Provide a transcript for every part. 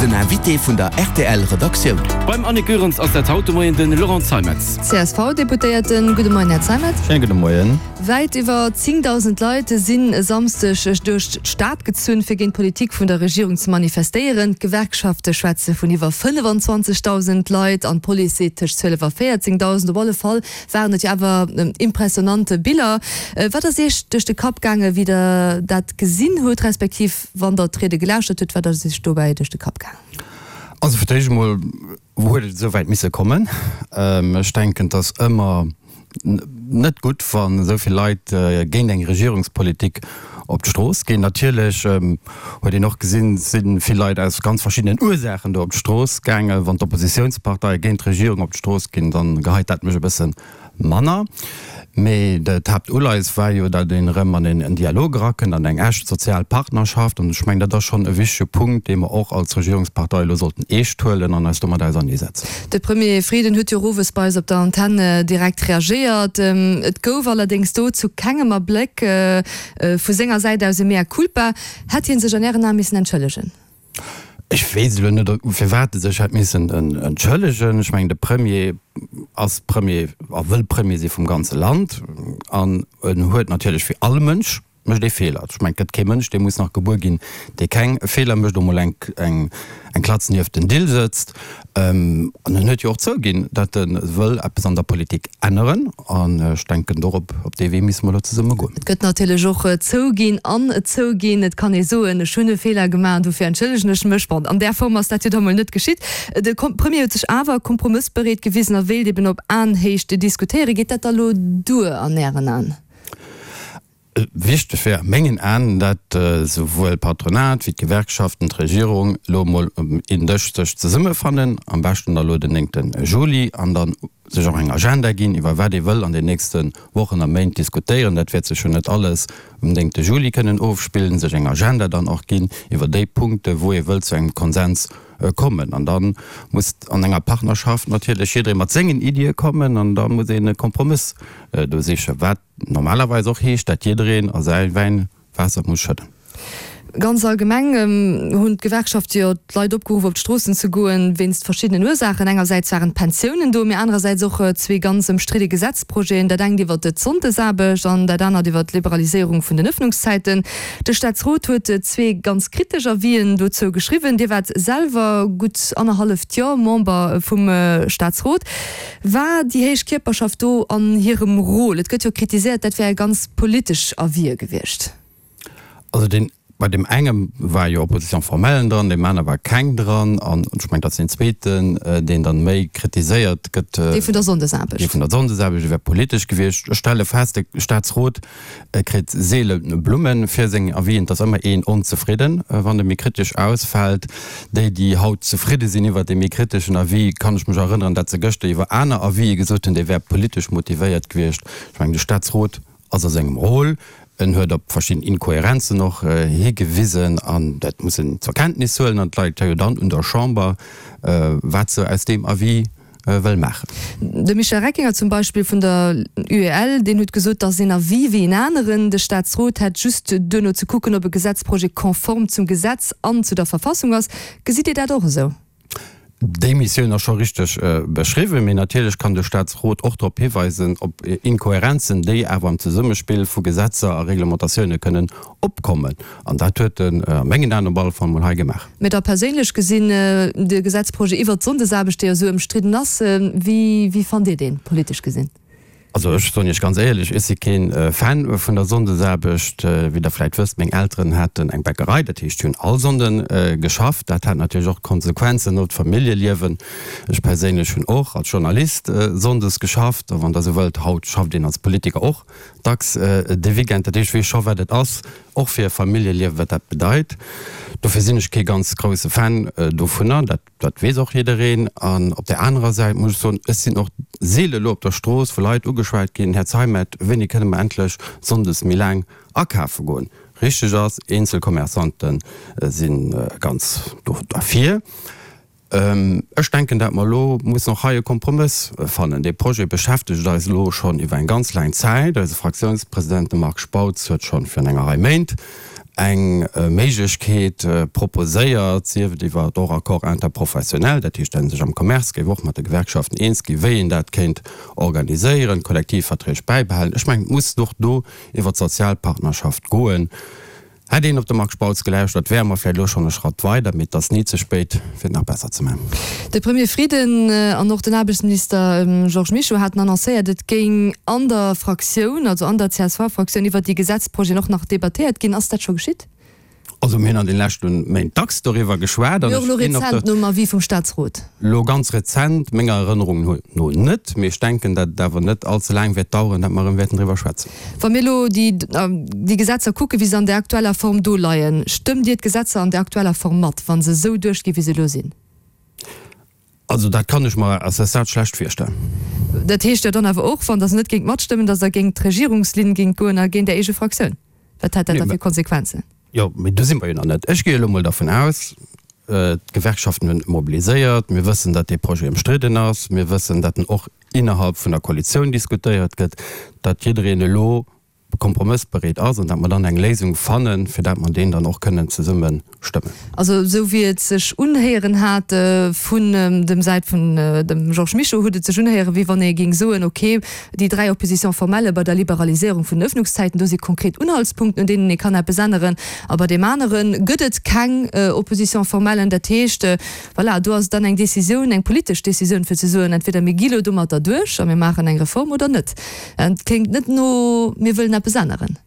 Den Invité vun der rtl Redaktioun. Beim Annick Goerens ass dat haut de Moien de Laurent Zeimetz. CSV-Deputéierten, Gudde Moien, Här Zeimetz. Schéine gudde Moien. Wäit iwwer 10.000 Leit sinn e Samsdeg duerch d'Stad gezunn, fir géint d'Politik vun der Regierung ze manifestéieren. D'Gewerkschafte schwätze vun iwwer 25.000 Leit an d'Police seet tëscht 12 a 14.000. Op alle Fall waren et jo awer impressionante Biller. Wat ass Iech duerch de Kapp gaangen, wéi Der dat gesinn hutt, respektiv wann Der d'Riede gelauschtert hutt, wat ass Iech dobäi duerch de Kapp gaangen? Also fir d'éischt emol huet et esou wäit misse kommen. Ech denken, et ass ëmmer net gutt, wann esou vill Leit géint eng Regierungspolitik op d'Strooss ginn. Natierlech huet een och gesinn, et si vill Leit aus ganz verschiddenen Ursaachen do op d'Strooss gaangen. Wann d'Oppositiounsparteie géint d'Regierung op d'Strooss ginn, da geheit dat mech e bësse Manner. Mee d'Haaptuleies war jo, datt een erëm an en Dialog erakënnt, an eng echt sozial Partnerschaft. An ech mengen, dat ass schonn e wichtege Punkt, dee mer och als Regierungspartei elo sollten eescht huelen an eis domat auserneesetzen. De Premier Frieden huet jo och owes bei eis op der Antenn direkt reagéiert. Et gouf allerdéngs do zu kengem Abléck vu senger Säit aus e Mea culpa. Hätt hie sech an Ären Ae missen entschëllegen? Ech weess elo net, firwat e sech hätt missen entschëllegen. Ech mengen, de Premier ass Premier a wëll Premier si vum ganze Land an en huet natierlech, wéi all Mënsch mécht ee Feeler. Ech mengen, et gëtt kee Mënsch, dee muss nach gebuer ginn, dee keng Feeler mécht, o mol eng Klatz nieft den Dill sëtzt. An en huet jo och zouginn, datt e wëll eppes an der Politik änneren. An ech denken, dorop, op dee Wee misse mer elo zesumme goen. Et gëtt natierlech och zouginn an zouginn. Et kann ee soen, ech hunn e Feeler gemaach an dofir entschëllegen ech mech. Bon, an där Form ass dat jo da mol net geschitt. De Premier huet sech awer kompromëssbereet gewisen a wéilt eben op Aenhéicht diskutéieren. Geet dat da lo duer an Ären Aen? Wichteg wär a mengen Aen, dat esouwuel d'Patronat wéi d'Gewerkschaften, d'Regierung elo emol um een Dësch sech zesummefannen, am beschten da elo den néngte Juli, an dann sech och eng Agenda ginn, iwwer wat ee wëll an den nächste Wochen a Méint diskutéieren. Dat wäert sech jo net alles um néngte Juli kënnen ofspillen. Sech eng Agenda dann och ginn iwwer déi Punkte wou ee wëll zu engem Konsens kommen. An da muss an enger Partnerschaft natierlech jidderee mat sengen Iddie kommen an da muss een e Kompromëss do sichen. Wat Normalerweis och heescht, dat jiddereen a säi Wäin Waasser muss schëdden. Ganz allgemeng hunn d'Gewerkschafte jo d'Leit opgeruff op d'Stroossen ze goen, wéinst verschiddenen Ursaachen. Engersäits waren d'Pensiounen do, mee anerersäits och zwee ganz ëmstridde Gesetzprojeten, dat engt iwwer d'Sonndesaarbecht an dat anert iwwer d'Liberaliséierung vun den Ëffnungszäiten. De Staatsrot huet zwee ganz kritesch Avisen dozou geschriwwen. Dir waart selwer gutt annerhalleft Joer Member vum Staatsrot. War déi héich Kierperschaft do an hirem Rôle? Et gëtt jo kritiséiert, dat wäre ganz politesch Avisë gewiescht. Also deen, bei deem engem war jo Opposition formelle dran, deem aner war keng dran. An ech mengen, dat ass deen zweeten, deen dann méi kritiséiert gëtt. Dee vun der Sonndesaarbecht. Dee vun der Sonndesaarbecht, dee wär politesch gewiescht. Ech stelle fest, de Staatsrot E kritt seele Blumme fir seng Avisen. Et ass ëmmer een onzefridden, wann e méi kritesch ausfält. Déi, déi haut zefridde sinn iwwert dee méi kriteschen Avis, kann ech mech erënneren, dat se gëschter iwwer aner Avisë gesot hunn, dee wär politesch motivéiert gewiescht. Ech mengen, de Staatsrot ass a sengem Rôle. En huet op verschidden Inkohärenzen och higewisen an dat muss en zur Kenntnis huelen. An et läit jo dann un der Chamber, wat se aus deem Avis wëll maachen. De Michel Reckinger zum Beispill vun der UEL, deen huet gesot, datt een Avis wéi en aneren, de Staatsrot hätt just duerno ze kucken, ob e Gesetzprojet konform zum Gesetz an zu der Verfassung ass. Gesitt Dir dat och esou? Déi Missioun ass scho richteg beschriwwen, mee natierlech kann de Staatsrot och drop hiweisen, op Inkohärenzen, déi awer am Zesummespill vu Gesetzer a Reglementatioune kënnen opkommen. An dat huet en a mengen Aen op alle Fall mol hei gemaach. Mä da perséinlech gesinn, de Gesetzprojet iwwert d'Sonndesaarbecht, dee jo esou ëmstridden ass, wéi, wéi fannt Dir deen, politesch gesinn? Also ech soen Iech ganz éierlech, ech si keen Fan vun der Sonndesaarbecht. Wéi Der vläit wësst, meng Elteren haten eng Bäckerei, dat heescht, si hunn all Sonnde geschafft. Dat hat natierlech och Konsequenzen op d'Familljeliewen. Ech perséinlech hunn och als Journalist sonndes geschafft. A wann Der esou wëllt, haut schafft een als Politiker och dacks de Weekend. Dat heescht, ech weess scho wat et ass, och fir e Familljeliewen, wat dat bedeit. Dofir sinn ech kee ganz grousse Fan dovunner, dat, dat weess och jiddereen. An op där anerer Säit muss ech soen, ech sinn och seele elo op der Strooss vu Leit ugeschwat ginn, Här Zeimet, wéini kënne mer endlech sonndes méi laang akafe goen? Richteg ass, eenzel Commerçante si ganz do derfir. Ech denken, dat mer elo mussen och hei e Kompromëss fannen. Dee Projet beschäftegt eis elo schonn iwwer eng ganz laang Zäit. Eise Fraktiounspresident, de Marc Spautz, huet schonn virun enger Rei Méint. Eng Méiglechkeet proposéiert, sief et iwwer och Accord interprofessionnel, dat heescht, datt ee sech am Commerce géif och mat de Gewerkschaften eens ginn, wéi een dat kéint organiséieren, d'Kollektivverträg bäibehalen. Ech mengen, et muss och do iwwer d'Sozialpartnerschaft goen. Hätt een op de Marc Spautz gelauschtert, wäre mer vläicht elo schonn e Schratt weider, mee et ass ni ze spéit, fir et nach besser ze maachen. De Premier Frieden an och den Aarbechtsminister Georges Mischo haten annoncéiert, et géing an der Fraktioun, also an der CSV-Fraktioun, iwwert déi Gesetzprojeten och nach debattéiert ginn. Ass dat scho geschitt? Also mir hunn an de leschte Méint dacks doriwwer geschwat. Mee och elo rezent nom Avis vum Staatsrot? Elo ganz rezent, menger Erënnerung no net. Mee ech denken, datt et awer net all ze laang wäert daueren, datt mer erëm wäerten driwwer schwätzen. Wa mir elo déi Gesetzer kucken, wéi se an der aktueller Form do leien, stëmmt Dir d'Gesetzer an der aktueller Form mat, wa se esou duerchginn, wéi se elo sinn? Also dat kann ech mer à ce stade schlecht virstellen. Dat heescht jo dann awer och, wann Der se net géingt matstëmmen, datt Der géingt d'Regierungslinn géingt goen a géint Är eege Fraktioun. Wat hätt dat da fir Konsequenzen? Jo, mee do si mer jo nach net. Ech gi elo mol dervun aus, d'Gewerkschaften hunn mobiliséiert, mir wëssen, datt dee Projet ëmstridden ass, mir wëssen, datt en och innerhalb vun der Koalitioun diskutéiert gëtt, datt jiddereen elo kompromëssbereet ass an datt mer dann eng Léisung fannen, fir dat mer deen dann och kënnen zesumme stëmmen. Also esou wéi et sech unhéieren hat vun dem Säit vun dem Georges Mischo, huet et sech unhéieren, wéi wann ee géing soen, ok, déi 3 Oppositions formelles bei der Liberaliséierung vun den Öffnungszäiten, do si konkret Unhaltspunkten, un deenen ee kann eppes änneren, a bei deem anere gëtt et keng Opposition formellen. Dat heescht, voilà, do ass et dann eng Décisioun, eng politesch Décisioun, fir ze soen, entweder mir gi lo domatter duerch a mir maachen eng Reform oder net. Et kléngt net no mir wëllen eppes änneren.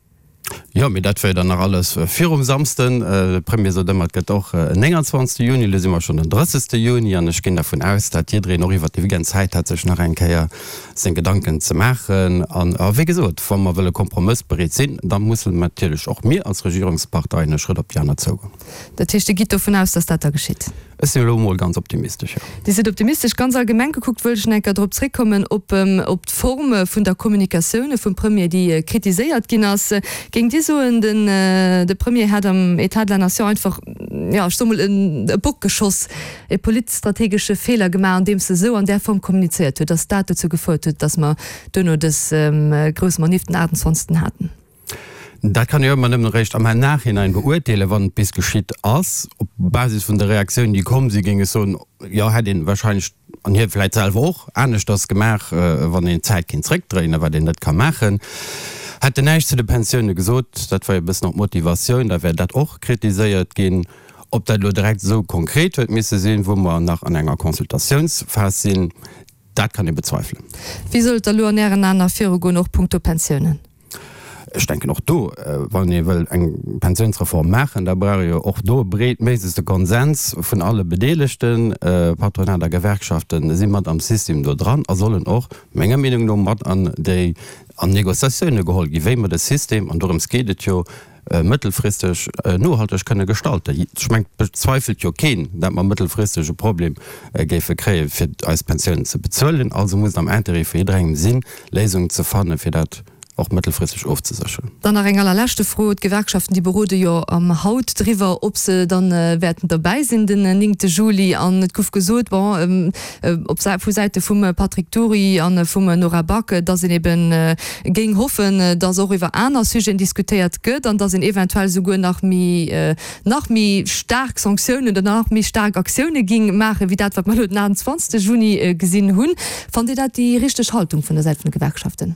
Jo, mee dat wär jo dann nach alles virum Samsden. De Premier sot ëmmer, et gëtt och en 29. Juni. Elo si mer schonn den 30. Juni an ech ginn dervun aus, dat jiddereen och iwwert de Weekend Zäit hat, sech nach eng Kéier seng Gedanken ze maachen. An, wéi gesot, wa mer wëlle kompromëssbereet sinn, da mussen natierlech och mir als Regierungsparteien e Schrëtt op déi aner zougoen. Dat heescht, Dir gitt dovun aus, datt dat da geschitt? Ech sinn elo emol ganz optimistesch, jo. Dir sidd optimistesch. Ganz allgemeng gekuckt wëllt ech nach eng Kéier drop zréckkommen, op op d'Form vun der Kommunikatioun vum Premier, déi kritiséiert ginn ass. Géingt Dir soen, den de Premier hätt am État de la Nation einfach, jo, ech soe mol, e Bock geschoss, e politstrategesche Feeler gemaach, andeems e sou an där Form kommunizéiert huet, datt dat dozou gefouert huet, datt mer duerno dës grouss Manif den 28. haten? Dat kann ee jo ëmmer nëmmen eréischt am Nachhinein beurteelen, wann et bis geschitt ass. Op Basis vun de Reaktiounen, déi komm sinn, géing ech soen, jo, hätt een wahrscheinlech, an hie vläicht selwer och, aneschters gemaach, wann een d'Zäit kéint zréckdréinen, wat een net ka maachen. Hätt en näischt zu de Pensioune gesot, dat war jo e bëssen och d'Motivatioun, da wär dat och kritiséiert ginn. Ob dat elo direkt esou konkret huet misse sinn, wou mer nach an enger Consultatiounsphas sinn, dat kann ee bezweifelen. Wéi soll et da elo an Ären Aen nach virugoen, och punkto Pensiounen? Ech denken och do, wann ee wëll eng Pensiounsreform maachen, da brauch ee jo och do e breetméiglechste Konsens vun alle Bedeelegten. Patronat a Gewerkschaften si mat am System do dran a sollen och, menger Meenung no, mat an déi an Négociatioune geholl ginn, wéi mer de System, an dorëms geet et jo, mëttelfristeg nohalteg kënne gestalten. Ech mengen, et bezweifelt jo keen, dat mer mëttelfristeg e Problem géife kréien, fir eis Pensiounen ze bezuelen. Also muss et am Intérêt vu jidderengem sinn, Léisungen ze fannen, fir dat och mëttelfristeg ofzesécheren. Dann nach eng allerleschte Fro, D'Gewerkschaften, déi berode jo haut driwwer, ob se dann wäerten derbäi sinn den néngte Juli. An et gouf gesot, bon, op vu Säite vum Patrick Dury a vum Nora Back, datt een ebe géing hoffen, datt och iwwer aner Sujeten diskutéiert gëtt an datt een eventuell souguer nach méi, nach méi staark Sanktiounen oder nach méi staark Aktioune géing maachen, wéi dat, wat mer elo den 28 Juni gesinn hunn. Fannt Dir dat déi richteg Haltung vun der Säit vun de Gewerkschaften?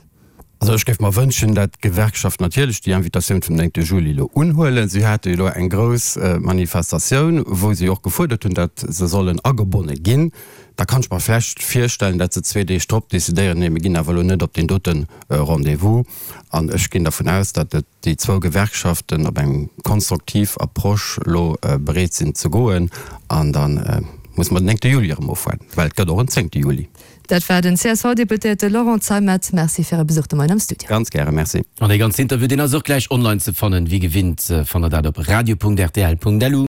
Also ech géif mer wënschen, dat d'Gewerkschaften natierlech déi Invitatioun vum 9 Juli elo unhuelen. Si hate jo elo eng grouss Manifestatioun, wou si och gefuerdert hunn, dat se sollen agebonne ginn. Da kann ech mer vlächtt virstellen, dat se zwee Deeg drop decidéieren, nee mir ginn awer elo net op deen dote Rendez-vous. An ech ginn dervun aus, dat et déi zwou Gewerkschaften op eng konstruktiv Approche elo bereet sinn ze goen. An da musse mer den 9 Juli erëm ofwaarden, well et gëtt och en 10 Juli. Dat war den CSV-Deputéierte Laurent Zeimet. Merci fir Äre Besuch de Moien am Studio. Ganz gäre, merci. An dee ganzen Interview, deen ass och gläich online ze fannen. Wéi gewinnt fannt der dat op radio.rtl.lu.